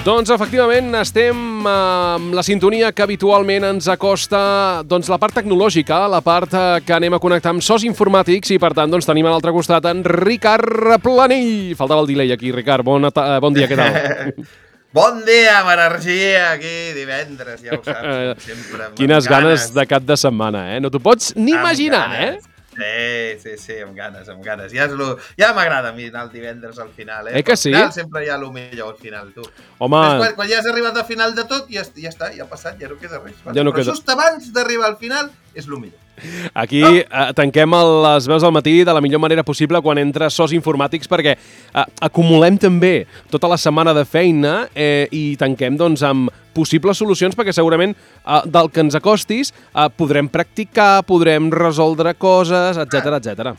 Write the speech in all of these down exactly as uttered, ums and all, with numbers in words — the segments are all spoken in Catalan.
Doncs efectivament estem amb la sintonia que habitualment ens acosta doncs, la part tecnològica, la part que anem a connectar amb sos informàtics i per tant doncs, tenim a l'altre costat en Ricard Planell. Faltava el delay aquí, Ricard. Bon, bon dia, què tal? Bon dia, amb energia, aquí divendres, ja ho saps, sempre. Quines ganes de cap de setmana, eh? No t'ho pots ni imaginar, eh? Sí, sí, sí, amb ganes, amb ganes. Ja, lo... ja m'agrada a mi anar el divendres al final, eh? Eh que sí? Al final sempre hi ha el millor al final, tu. Home... Quan, quan ja has arribat al final de tot, ja, ja està, ja ha passat, ja no queda res. Ja no Però queda... just abans d'arribar al final és el millor. Aquí eh, tanquem les veus al matí de la millor manera possible quan entra sos informàtics perquè eh, acumulem també tota la setmana de feina eh, i tanquem doncs, amb possibles solucions perquè segurament eh, del que ens acostis eh, podrem practicar, podrem resoldre coses, etcètera, etcètera.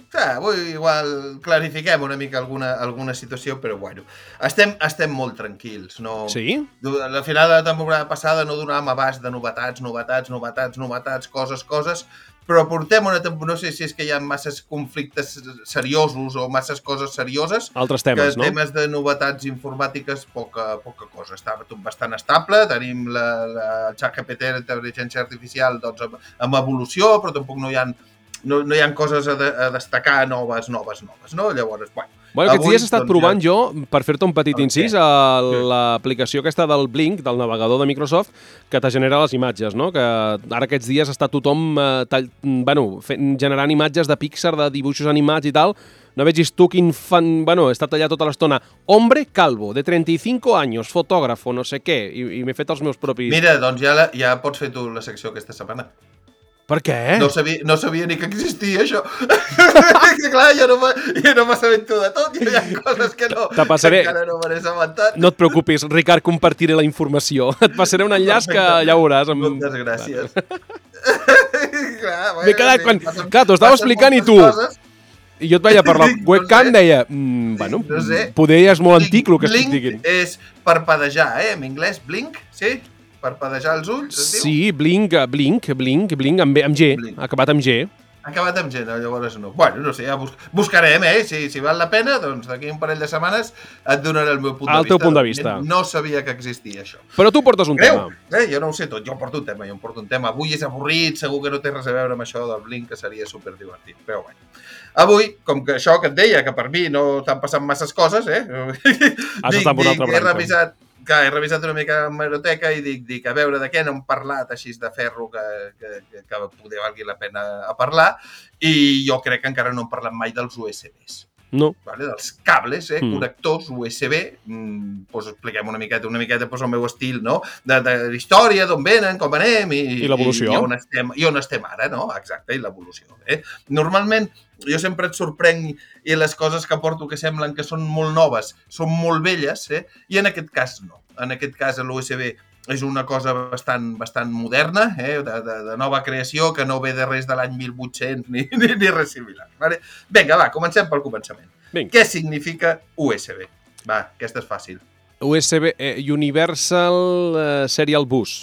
Sí, avui igual clarifiquem una mica alguna, alguna situació, però bueno, estem, estem molt tranquils. No... Sí? La final de la temporada passada no donàvem abast de novetats, novetats, novetats, novetats, coses, coses, però portem una temporada, no sé si és que hi ha masses conflictes seriosos o masses coses serioses. Altres temes, que no? Temes de novetats informàtiques, poca, poca cosa. Està tot bastant estable, tenim la, la ChatGPT, l'intel·ligència artificial, doncs, amb, amb evolució, però tampoc no hi ha No, no hi ha coses a, de, a destacar noves, noves, noves, no? Llavors, bueno... Bueno, aquests avui, dies he estat doncs, provant ja... jo, per fer-te un petit Okay. incís, a l'aplicació aquesta del Blink, del navegador de Microsoft, que te genera les imatges, no? Que ara aquests dies està tothom eh, tall... bueno, fent, generant imatges de Pixar, de dibuixos animats i tal. No vegis tu quin fan... Bueno, he estat allà tota l'estona. Hombre calvo, de treinta y cinco años, fotógrafo, no sé què, i, i m'he fet els meus propis... Mira, doncs ja, la, ja pots fer tu la secció aquesta setmana. Per què? No sabia, no sabia ni que existia això. Clar, jo no m'assabento de tot. Hi ha coses que no, passaré... que encara no me n'he assabentat. No et preocupis, Ricard, compartiré la informació. Et passaré un enllaç que ja veuràs. Amb... Moltes gràcies. Clar, M'he quedat quan... passen, Clar, t'ho estava explicant i tu... Coses. I jo et veia per la webcam, no sé. deia... Mm, bueno, no sé. poder ja és molt Blink, antic el que estic blink dient. és parpadejar, eh? En anglès, blink, sí? Parpadejar els ulls, es diu? Sí, blink, blink, blink, blink, amb, amb G, blink. Acabat amb G. Acabat amb G, no, llavors no. Bueno, no sé, ja bus buscarem, eh? Si, si val la pena, doncs d'aquí un parell de setmanes et donaré el meu punt el de vista. El teu punt de vista. No sabia que existia això. Però tu portes un Creu? tema. Eh? Jo no ho sé tot, jo porto un tema, jo em porto un tema. Avui és avorrit, segur que no té res a veure amb això del blink, que seria superdivertit, però bueno. Avui, com que això que et deia, que per mi no t'han passat masses coses, eh? Has estat per una altra branca. He revisat que he revisat una mica l'hemeroteca i dic, dic, a veure de què no hem parlat així de ferro que, que, que, que poder valgui la pena a parlar, i jo crec que encara no hem parlat mai dels U S Bs. No. Vale? Dels cables, eh? Mm. Connectors U S B, mm, doncs expliquem una miqueta, una miqueta doncs, el meu estil, no? De, de història, d'on venen, com anem i, I l'evolució. I, i, on estem, i on estem ara, no? Exacte, i l'evolució. Eh? Normalment, jo sempre et sorprenc i les coses que porto que semblen que són molt noves, són molt velles, eh? I en aquest cas no. En aquest cas l'U S B és una cosa bastant, bastant moderna, eh? de, de, de nova creació, que no ve de res de l'any mil vuit-cents ni, ni, ni res similar. Vale? Vinga, va, comencem pel començament. Vinga. Què significa U S B? Va, aquesta és fàcil. U S B, eh, Universal eh, Serial Bus.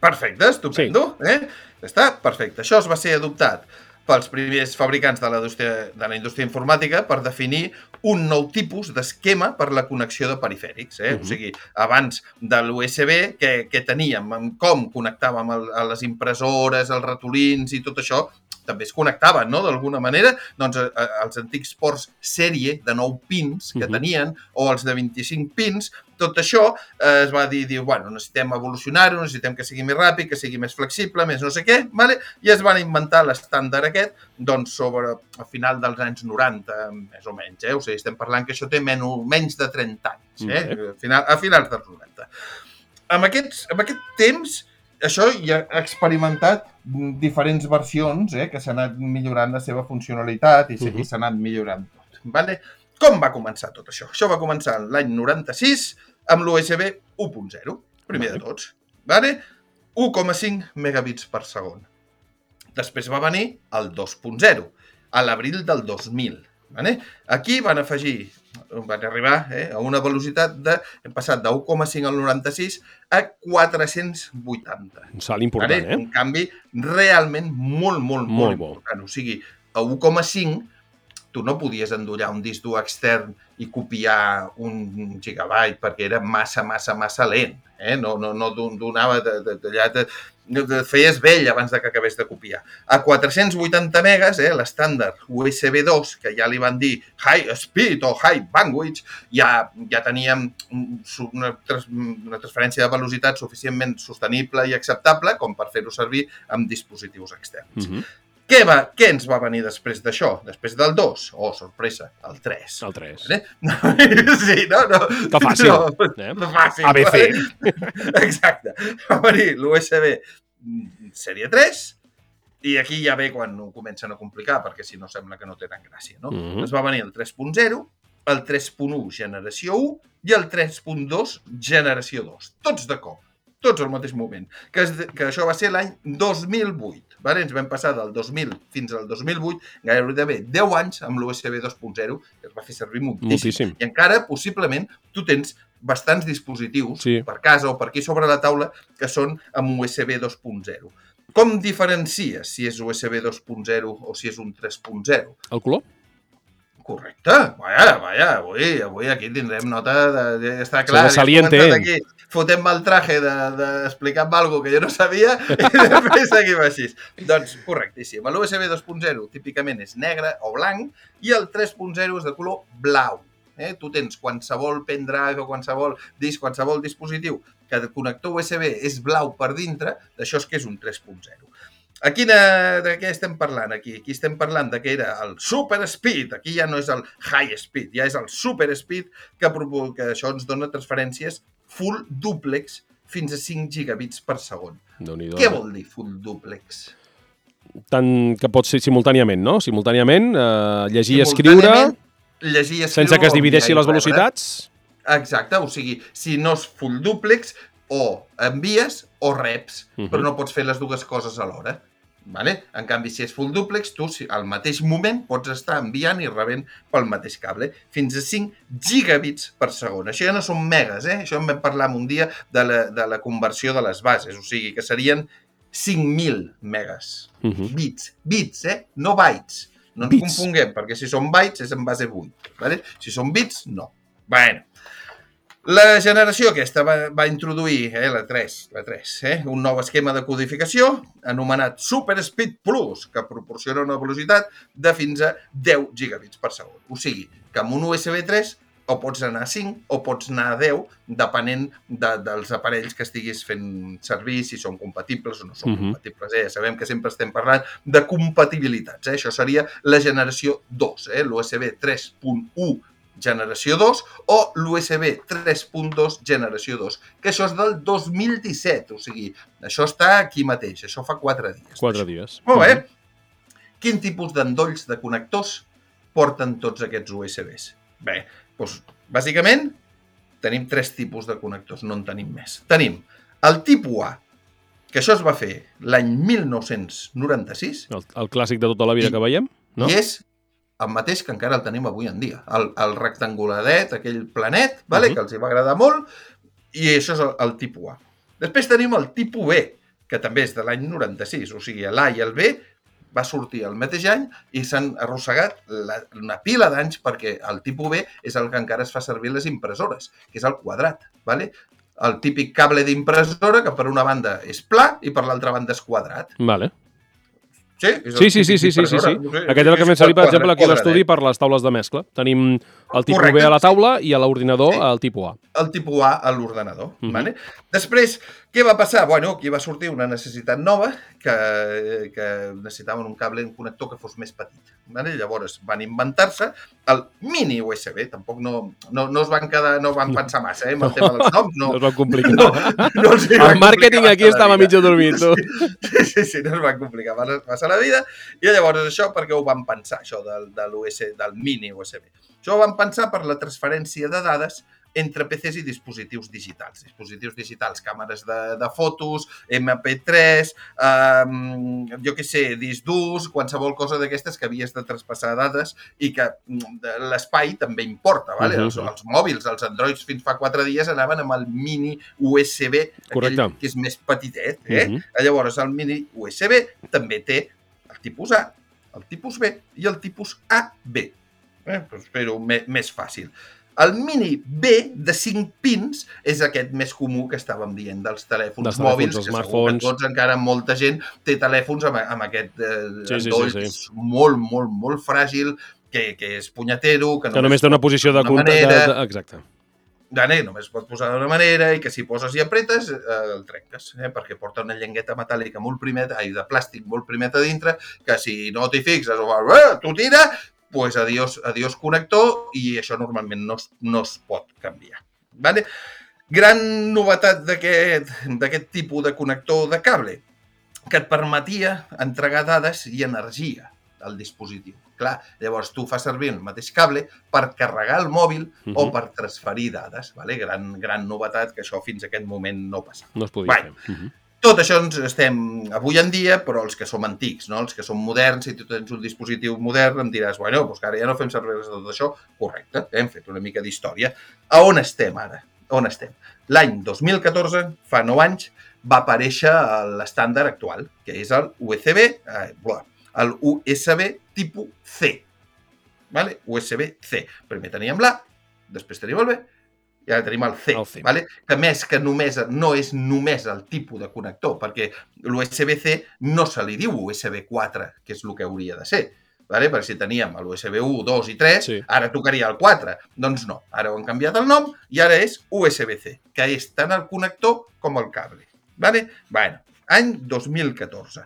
Perfecte, estupendo. Sí. Eh? Està perfecte. Això es va ser adoptat pels primers fabricants de la indústria, de la indústria informàtica per definir un nou tipus d'esquema per la connexió de perifèrics. Eh? Uh -huh. O sigui, abans de l'U S B, què, què teníem? Com connectàvem el, a les impressores, els ratolins i tot això, també es connectaven, no?, d'alguna manera, doncs a, a, els antics ports sèrie de nou pins que uh -huh. tenien, o els de vint-i-cinc pins, tot això eh, es va dir, dir, bueno, necessitem evolucionar-ho, necessitem que sigui més ràpid, que sigui més flexible, més no sé què, vale? I es van inventar l'estàndard aquest, doncs, sobre a final dels anys noranta, més o menys, eh? O sigui, estem parlant que això té menys, menys de trenta anys, eh? Uh -huh. a, final, a finals dels noranta. Amb, aquests, amb aquest temps, això ja ha experimentat diferents versions eh, que s'han anat millorant la seva funcionalitat i s'ha uh -huh. anat millorant tot. Vale? Com va començar tot això? Això va començar l'any noranta-sis amb l'U S B u punt zero, primer vale. de tots. Vale? u coma cinc megabits per segon. Després va venir el dos punt zero, a l'abril del dos mil. Vale? Aquí van afegir, van arribar eh, a una velocitat de... Hem passat de u coma cinc al noranta-sis a quatre-cents vuitanta. Un salt important, vale? eh? Un canvi realment molt, molt, molt, molt important. O sigui, a u coma cinc tu no podies endollar un disc dur extern i copiar un gigabyte perquè era massa, massa, massa lent. Eh? No, no, no donava de, de, de, de, de, feies vell abans de que acabés de copiar. A quatre-cents vuitanta megas, eh, l'estàndard U S B dos, que ja li van dir high speed o high bandwidth, ja, ja teníem una, una transferència de velocitat suficientment sostenible i acceptable com per fer-ho servir amb dispositius externs. Mm-hmm. Què, va, què ens va venir després d'això? Després del dos? Oh, sorpresa, el tres. El tres. Eh? Sí, no, no. Que fàcil. No, eh? fàcil. A B C. Exacte. Va venir l'U S B sèrie tres i aquí ja ve quan ho comencen a complicar, perquè si no sembla que no tenen gràcia, no? Mm-hmm. Es va venir el tres punt zero, el tres punt u generació u i el tres punt dos generació dos. Tots de cop. Tots al mateix moment, que, es, que això va ser l'any dos mil vuit. Vale? Ens vam passar del dos mil fins al dos mil vuit, gairebé deu anys amb l'U S B dos punt zero, que es va fer servir moltíssim. moltíssim. I encara, possiblement, tu tens bastants dispositius sí. per casa o per aquí sobre la taula que són amb U S B dos punt zero. Com diferencies si és U S B dos punt zero o si és un tres punt zero? El color? Correcte. Vaja, vaja, avui, avui aquí tindrem nota de... de està clar, ja has aquí, fotem-me el traje d'explicar-me de, alguna cosa que jo no sabia i després seguim així. Doncs correctíssim. L'U S B dos punt zero típicament és negre o blanc i el tres punt zero és de color blau. Eh? Tu tens qualsevol pendrive o qualsevol disc, qualsevol dispositiu que el connector U S B és blau per dintre, d'això és que és un tres punt zero. A quina, de què estem parlant aquí? Aquí estem parlant de que era el super speed, aquí ja no és el high speed, ja és el super speed que, que això ens dona transferències full duplex fins a cinc gigabits per segon. Què vol dir full duplex? Tant que pot ser simultàniament, no? Simultàniament, eh, llegir i escriure, llegir i escriure sense que es divideixi les velocitats. Exacte, o sigui, si no és full duplex, o envies o reps, uh-huh. però no pots fer les dues coses alhora. Vale? En canvi, si és full duplex, tu al mateix moment pots estar enviant i rebent pel mateix cable. Fins a cinc gigabits per segon. Això ja no són megas, eh? Això en vam parlar un dia de la, de la conversió de les bases. O sigui, que serien cinc mil megas. Uh-huh. Bits. Bits, eh? No bytes. No ens bits. Confonguem, perquè si són bytes és en base vuit. Vale? Si són bits, no. Bueno. La generació aquesta va, va introduir, eh, la tres, la tres eh, un nou esquema de codificació anomenat Super Speed Plus, que proporciona una velocitat de fins a deu gigabits per segon. O sigui, que amb un U S B tres o pots anar a cinc o pots anar a deu, depenent de, dels aparells que estiguis fent servir, si són compatibles o no són uh-huh. compatibles. Eh? Ja sabem que sempre estem parlant de compatibilitats. Eh? Això seria la generació dos, eh? l'U S B tres punt u generació dos o l'U S B tres punt dos generació dos, que això és del dos mil disset, o sigui, això està aquí mateix, això fa quatre dies. Quatre dies. Molt bé. Mm-hmm. Quin tipus d'endolls de connectors porten tots aquests U S Bs? Bé, doncs, bàsicament, tenim tres tipus de connectors, no en tenim més. Tenim el tipus A, que això es va fer l'any mil nou-cents noranta-sis. El, el clàssic de tota la vida i, que veiem, no? I és el mateix que encara el tenim avui en dia. El, el rectanguladet, aquell planet, vale? Uh-huh. que els hi va agradar molt, i això és el, el tipus A. Després tenim el tipus B, que també és de l'any noranta-sis, o sigui, l'A i el B va sortir el mateix any i s'han arrossegat la, una pila d'anys perquè el tipus B és el que encara es fa servir les impressores, que és el quadrat, vale? El típic cable d'impressora que per una banda és pla i per l'altra banda és quadrat. Vale. Sí, sí, sí, sí, sí, sí, sí, sí. Aquest és el que m'he servit, per exemple, aquí a l'estudi per les taules de mescla. Tenim el tipus Correcte. B a la taula i a l'ordinador sí. el tipus A. El tipus A a l'ordenador. Mm-hmm. Vale? Després, què va passar? Bueno, aquí va sortir una necessitat nova que, que necessitaven un cable, un connector que fos més petit. Vale? Llavors van inventar-se el mini U S B. Tampoc no, no, no es van quedar, no van pensar massa, eh, amb el tema dels noms. No, no es van complicar. No, no els el van màrqueting aquí estava mig dormit. Sí, sí, sí, no es van complicar massa la vida. I llavors això perquè ho van pensar, això del, de l'U S B, del mini U S B. Això ho van pensar per la transferència de dades entre P Cs i dispositius digitals. Dispositius digitals, càmeres de, de fotos, M P tres, eh, jo què sé, disc durs, qualsevol cosa d'aquestes que havies de traspassar dades i que l'espai també importa. Vale? Uh-huh. els, els mòbils, els Androids fins fa quatre dies anaven amb el mini U S B, aquell que és més petitet. Eh? Uh-huh. Llavors el mini U S B també té el tipus A, el tipus B i el tipus A B. Eh? Pues fer-ho més fàcil. El Mini B de cinc pins és aquest més comú que estàvem dient dels telèfons, dels mòbils, telèfons, que smartphones. segur que tots, encara molta gent, té telèfons amb, amb aquest eh, sí, sí, endoll sí, sí. que és molt, molt, molt fràgil, que, que és punyetero, que, que només té una posició de... manera, de, de... Exacte. Dane, només pot posar d'una manera i que si poses i apretes eh, el trenques, eh, perquè porta una llengueta metàl·lica molt primeta, ai, de plàstic molt primet a dintre, que si no t'hi fixes o eh, tu tira, pues adiós, adiós connector, i això normalment no es, no es pot canviar. Vale? Gran novetat d'aquest tipus de connector de cable, que et permetia entregar dades i energia al dispositiu. Clar, llavors tu fas servir el mateix cable per carregar el mòbil uh-huh. o per transferir dades. Vale? Gran, gran novetat, que això fins a aquest moment no passava. No es podia vale. fer. Uh-huh. Tot això ens estem avui en dia, però els que som antics, no? Els que som moderns, si tu tens un dispositiu modern, em diràs, bueno, doncs que ara ja no fem servir res de tot això. Correcte, hem fet una mica d'història. A on estem ara? On estem? L'any dos mil catorze, fa nou anys, va aparèixer l'estàndard actual, que és el U S B, eh, el U S B tipus C. Vale? U S B C. Primer teníem l'A, després teníem el B, i ara tenim el C, el C. Vale? Que més que només no és només el tipus de connector, perquè l'U S B C no se li diu U S B quatre, que és el que hauria de ser. Vale? Perquè si teníem l'U S B u, dos i tres, sí. Ara tocaria el quatre. Doncs no, ara ho han canviat el nom i ara és U S B C, que és tant el connector com el cable. Vale? Bueno, any dos mil catorze.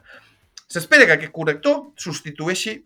S'espera que aquest connector substitueixi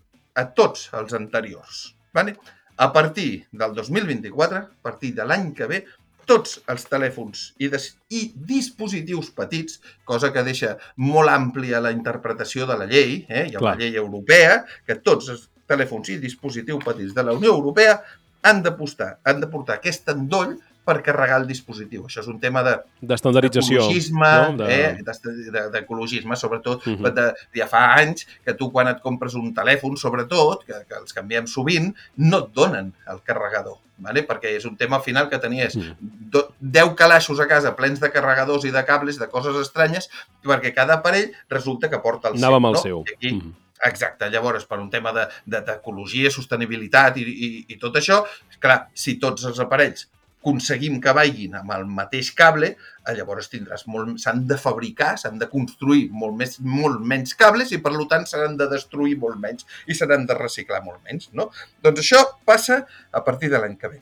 a tots els anteriors. Vale? A partir del dos mil vint-i-quatre, a partir de l'any que ve, tots els telèfons i, des, i dispositius petits, cosa que deixa molt àmplia la interpretació de la llei, eh? Hi ha Clar. Una llei europea, que tots els telèfons i dispositius petits de la Unió Europea han de, postar, han de portar aquest endoll per carregar el dispositiu. Això és un tema de d'estandardització, d'ecologisme, no? de... eh? d'ecologisme, sobretot. Uh-huh. de, ja fa anys que tu, quan et compres un telèfon, sobretot, que, que els canviem sovint, no et donen el carregador, vale? Perquè és un tema al final que tenies uh-huh. deu calaixos a casa plens de carregadors i de cables, de coses estranyes, perquè cada aparell resulta que porta el Anava seu. amb el no? seu. Aquí, uh-huh. Exacte, llavors, per un tema d'ecologia, de, de, sostenibilitat i, i, i tot això, clar, si tots els aparells aconseguim que vagin amb el mateix cable, llavors tindràs molt, s'han de fabricar, s'han de construir molt, més, molt menys cables i, per tant, s'han de destruir molt menys i s'han de reciclar molt menys, no? Doncs això passa a partir de l'any que ve.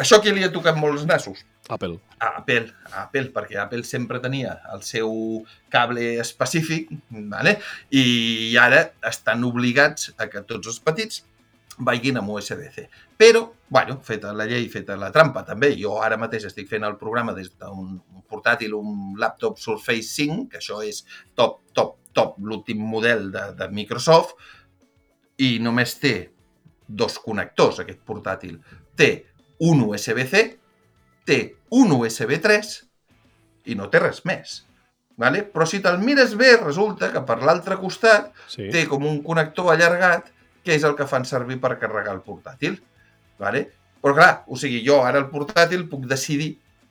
Això qui li ha tocat molts nassos? Apple. A Apple, a Apple, perquè Apple sempre tenia el seu cable específic, vale? I ara estan obligats a que tots els petits vagin amb U S B C. Però, bueno, feta la llei, feta la trampa, també. Jo ara mateix estic fent el programa des d'un portàtil, un laptop Surface cinc, que això és top, top, top, l'últim model de, de Microsoft, i només té dos connectors, aquest portàtil. Té un U S B C, té un U S B tres i no té res més. Vale? Però si te'l mires bé, resulta que per l'altre costat sí. té com un connector allargat, que és el que fan servir per carregar el portàtil. Vale? Però clar, o sigui, jo ara el portàtil puc decidir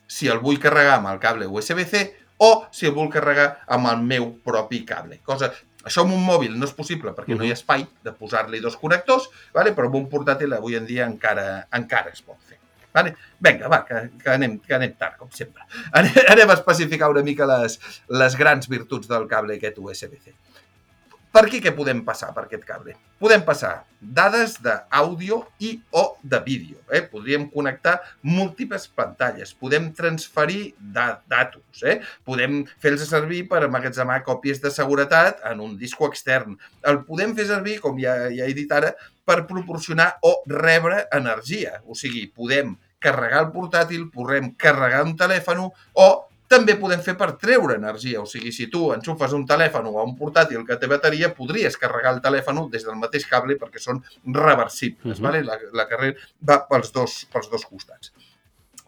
si el vull carregar amb el cable U S B C o si el vull carregar amb el meu propi cable. Cosa, això amb un mòbil no és possible perquè uh-huh. no hi ha espai de posar-li dos connectors, vale? Però amb un portàtil avui en dia encara, encara es pot fer. Vale? Vinga, va, que, que, anem, que anem tard, com sempre. Anem, anem a especificar una mica les, les grans virtuts del cable aquest U S B C. Per aquí què podem passar per aquest cable? Podem passar dades d'àudio i o de vídeo. Eh? Podríem connectar múltiples pantalles. Podem transferir da- datos. Eh? Podem fer-los servir per emmagatzemar còpies de seguretat en un disco extern. El podem fer servir, com ja, ja he dit ara, per proporcionar o rebre energia. O sigui, podem carregar el portàtil, podem carregar un telèfon o també podem fer per treure energia. O sigui, si tu enxufes un telèfon o un portàtil que té bateria, podries carregar el telèfon des del mateix cable perquè són reversibles. Uh-huh. Vale? La, la carrera va pels dos, pels dos costats.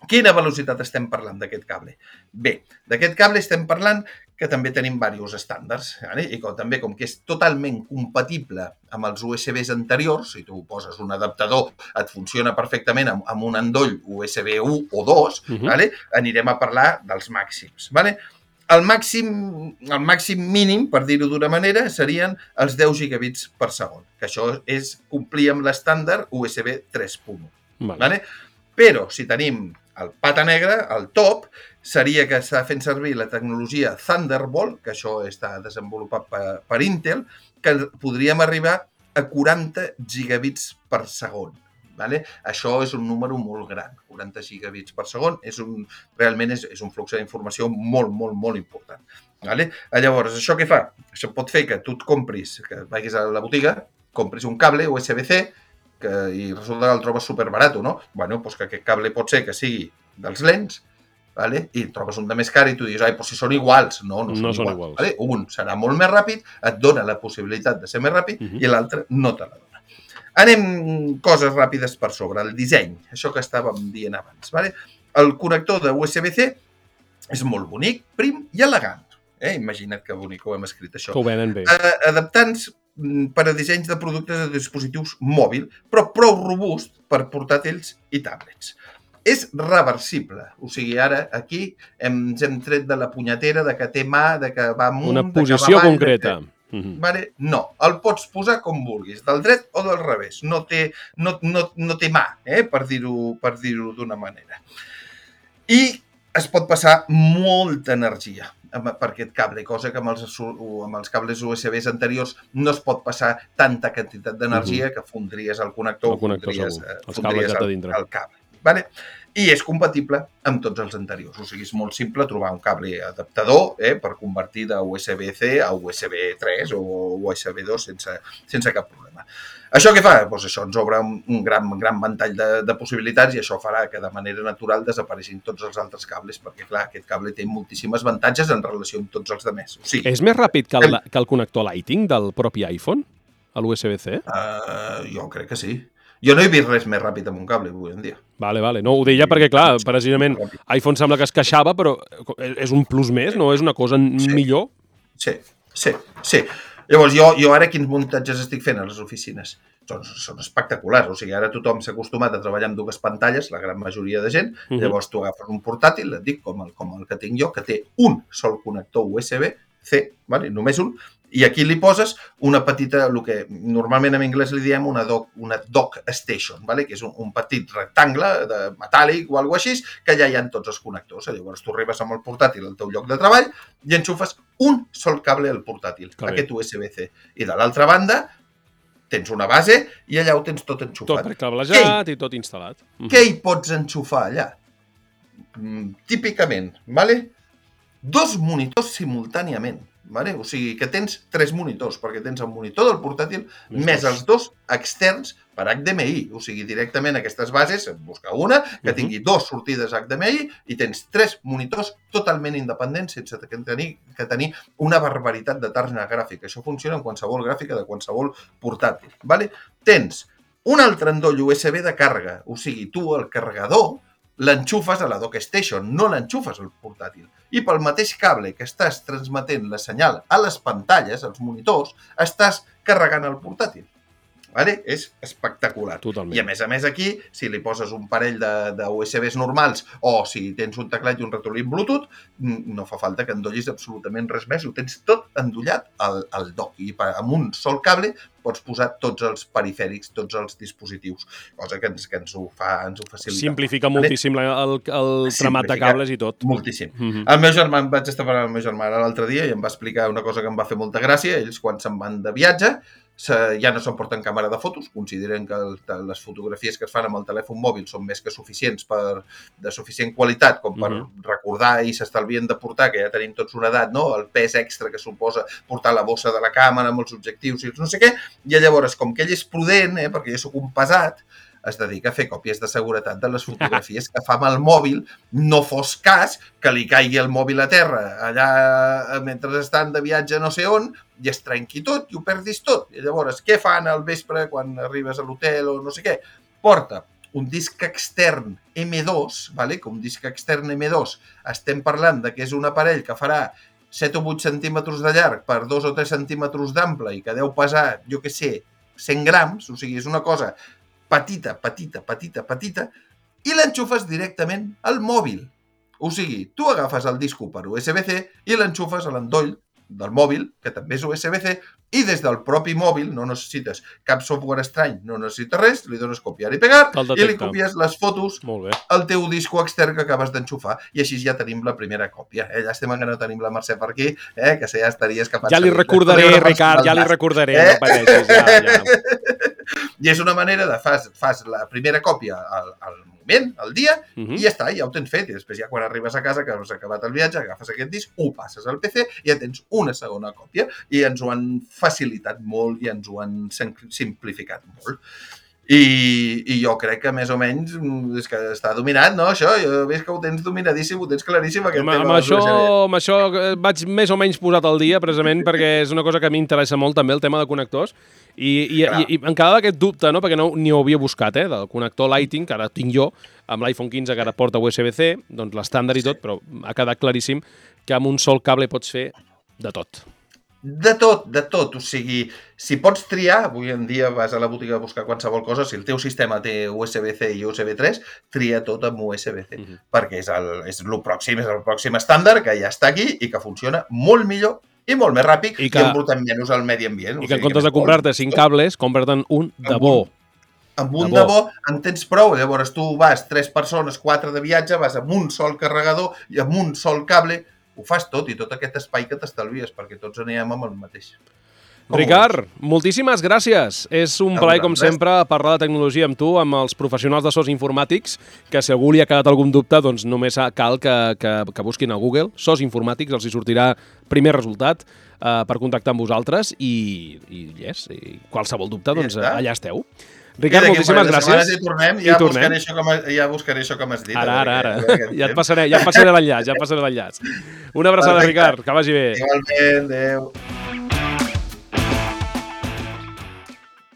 Quina velocitat estem parlant d'aquest cable? Bé, d'aquest cable estem parlant que també tenim diversos estàndards. Vale? I com, també, com que és totalment compatible amb els U S Bs anteriors, si tu poses un adaptador, et funciona perfectament amb, amb un endoll U S B u o dos, uh-huh. vale? Anirem a parlar dels màxims. Vale? el màxim, el màxim mínim, per dir-ho d'una manera, serien els deu gigabits per segon, que això és complir amb l'estàndard U S B tres punt u. Vale. Vale? Però si tenim el pata negre, el top, seria que està fent servir la tecnologia Thunderbolt, que això està desenvolupat per, per Intel, que podríem arribar a quaranta gigabits per segon. Vale? Això és un número molt gran, quaranta gigabits per segon, és un, realment és, és un flux d'informació molt, molt, molt important. Vale? Llavors, això què fa? Això pot fer que tu et compris, que vagis a la botiga, compris un cable U S B C que, i resulta que el trobes superbarat, no? Bueno, doncs que aquest cable pot ser que sigui dels lents, vale? I trobes un de més car i tu dius, ai, doncs si són iguals. No, no són no iguals. Són iguals. Vale? Un serà molt més ràpid, et dona la possibilitat de ser més ràpid, uh-huh. i l'altre no te la dona. Anem coses ràpides per sobre. El disseny, això que estàvem dient abans. Vale? El connector de U S B C és molt bonic, prim i elegant. Eh? Imagina't que bonic que ho hem escrit, això. Que ho venen bé. Eh, adaptant per a dissenys de productes de dispositius mòbil, però prou robust per portàtils i tablets. És reversible. O sigui, ara aquí ens hem tret de la punyetera de que té mà, de que va amunt, una posició de que va avall, concreta. De que... Uh-huh. Vale? No, el pots posar com vulguis, del dret o del revés. No té, no, no, no té mà, eh? per dir-ho per dir-ho d'una manera. I es pot passar molta energia per aquest cable, cosa que amb els, amb els cables U S Bs anteriors no es pot passar tanta quantitat d'energia uh-huh. que fondries el connector, el connector fondries, els fondries el, el cable. Vale? I és compatible amb tots els anteriors. O sigui, és molt simple trobar un cable adaptador eh, per convertir de U S B C a U S B tres o U S B dos sense, sense cap problema. Això què fa? Doncs això ens obre un gran, gran ventall de, de possibilitats i això farà que de manera natural desapareixin tots els altres cables, perquè clar, aquest cable té moltíssimes avantatges en relació amb tots els altres. O sigui, és més ràpid que el, que el connector Lightning del propi iPhone, a l'U S B C? Uh, jo crec que sí. Jo no he vist res més ràpid amb un cable avui en dia. Vale, vale. No, ho deia perquè, clar, precisament iPhone sembla que es queixava, però és un plus més, no? És una cosa sí. millor? Sí, sí, sí. Llavors, jo, jo ara quins muntatges estic fent a les oficines? Doncs són espectaculars. O sigui, ara tothom s'ha acostumat a treballar amb dues pantalles, la gran majoria de gent. Uh-huh. Llavors, tu agafes un portàtil, et dic, com el, com el que tinc jo, que té un sol connector U S B C, vale? Només un, i aquí li poses una petita, el que normalment en anglès li diem una dock, una dock station, vale? Que és un, un petit rectangle de metàl·lic o alguna cosa així, que ja hi ha tots els connectors. Llavors tu arribes amb el portàtil al teu lloc de treball i enxufes un sol cable al portàtil, que aquest U S B C. I de l'altra banda tens una base i allà ho tens tot enxufat. Tot precablejat i tot instal·lat. Què hi pots enxufar allà? Mm, típicament, vale? Dos monitors simultàniament. Vale? O sigui que tens tres monitors, perquè tens el monitor del portàtil més, més els dos externs per H D M I. O sigui, directament aquestes bases, busca una que tingui dos sortides H D M I i tens tres monitors totalment independents sense tenir que tenir una barbaritat de targeta gràfica. Això funciona en qualsevol gràfica de qualsevol portàtil. Vale? Tens un altre endoll U S B de càrrega. O sigui, tu el carregador l'enxufes a la dock station, no l'enxufes al portàtil. I pel mateix cable que estàs transmetent la senyal a les pantalles, als monitors, estàs carregant el portàtil. Vale? És espectacular. Totalment. I a més a més aquí, si li poses un parell de, de U S Bs normals o si tens un teclat i un ratolí Bluetooth, no fa falta que endollis absolutament res més. Ho tens tot endollat al, al dock. I amb un sol cable pots posar tots els perifèrics, tots els dispositius, cosa que ens, que ens, ho, fa, ens ho facilita. Simplifica moltíssim el, el tramat de cables i tot. Moltíssim. Mm-hmm. El meu germà, vaig estar parlant amb el meu germà l'altre dia i em va explicar una cosa que em va fer molta gràcia. Ells, quan se'n van de viatge, ja no s'emporten càmera de fotos, consideren que el, les fotografies que es fan amb el telèfon mòbil són més que suficients per, de suficient qualitat com per mm-hmm. recordar i s'estalvien de portar, que ja tenim tots una edat, no? El pes extra que suposa portar la bossa de la càmera amb els objectius i no sé què, i llavors, com que ell és prudent, eh, perquè jo soc un pesat, es dedica a fer còpies de seguretat de les fotografies que fa amb el mòbil, no fos cas que li caigui el mòbil a terra allà mentre estan de viatge no sé on i es trenqui tot i ho perdis tot. I llavors, què fan al vespre quan arribes a l'hotel o no sé què? Porta un disc extern eme dos, vale? Que un disc extern eme dos, estem parlant de que és un aparell que farà set o vuit centímetres de llarg per dos o tres centímetres d'ample i que deu pesar, jo què sé, cent grams, o sigui, és una cosa petita, petita, petita, petita, i l'enxufes directament al mòbil. O sigui, tu agafes el disc per U S B C i l'enxufes a l'endoll del mòbil, que també és U S B C, i des del propi mòbil, no necessites cap software estrany, no necessites res, li dones copiar i pegar i li copies les fotos al teu disco extern que acabes d'enxufar. I així ja tenim la primera còpia. Eh? Llàstima que no tenim la Mercè per aquí, eh? Que ja estaries capaç... Ja li recordaré, Ricard, ja li recordaré, eh? No pateixis, ja, ja. I és una manera de fas, fas la primera còpia al, al moment, al dia, uh -huh. i ja està, ja ho tens fet. I després ja quan arribes a casa, que has acabat el viatge, agafes aquest disc, ho passes al P C i ja tens una segona còpia. I ens ho han facilitat molt i ens ho han simplificat molt. I, i jo crec que més o menys és que està dominat, no? Això, jo veig que ho tens dominadíssim, ho tens claríssim. Aquest amb, tema amb, això, amb això vaig més o menys posat al dia, precisament perquè és una cosa que a mi m'interessa molt també, el tema de connectors. I, i, i, i em quedava aquest dubte, no? Perquè no, ni ho havia buscat, eh? Del connector Lighting, que ara tinc jo, amb l'iPhone quinze que ara porta U S B C, doncs l'estàndard i tot, però ha quedat claríssim que amb un sol cable pots fer de tot. De tot, de tot. O sigui, si pots triar, avui en dia vas a la botiga a buscar qualsevol cosa, si el teu sistema té U S B C i U S B tres, tria tot amb U S B C, uh -huh. perquè és el, és el pròxim, és el pròxim estàndard que ja està aquí i que funciona molt millor i molt més ràpid i, que, i embrutant menys al medi ambient. I que en comptes de comprar-te cinc cables, comprar-te'n un de bo. Amb un de bo en tens prou. Llavors tu vas tres persones, quatre de viatge, vas amb un sol carregador i amb un sol cable, ho fas tot i tot aquest espai que t'estalvies perquè tots anirem amb el mateix. Ricard, moltíssimes gràcies. És un plaer, com sempre, parlar de tecnologia amb tu, amb els professionals de sos informàtics, que si algú li ha quedat algun dubte, doncs només cal que, que, que busquin a Google, sos informàtics, els hi sortirà primer resultat eh, per contactar amb vosaltres i, i, yes, i qualsevol dubte, doncs ja allà esteu. Ricard, moltíssimes gràcies. I tornem, ja, I tornem. Buscaré això com, ja buscaré això com has dit. Ara, ara, ara. Ja et passaré, ja et passaré l'enllaç, ja et passaré l'enllaç. Una abraçada, Ricard, que vagi bé. Igualment, adéu.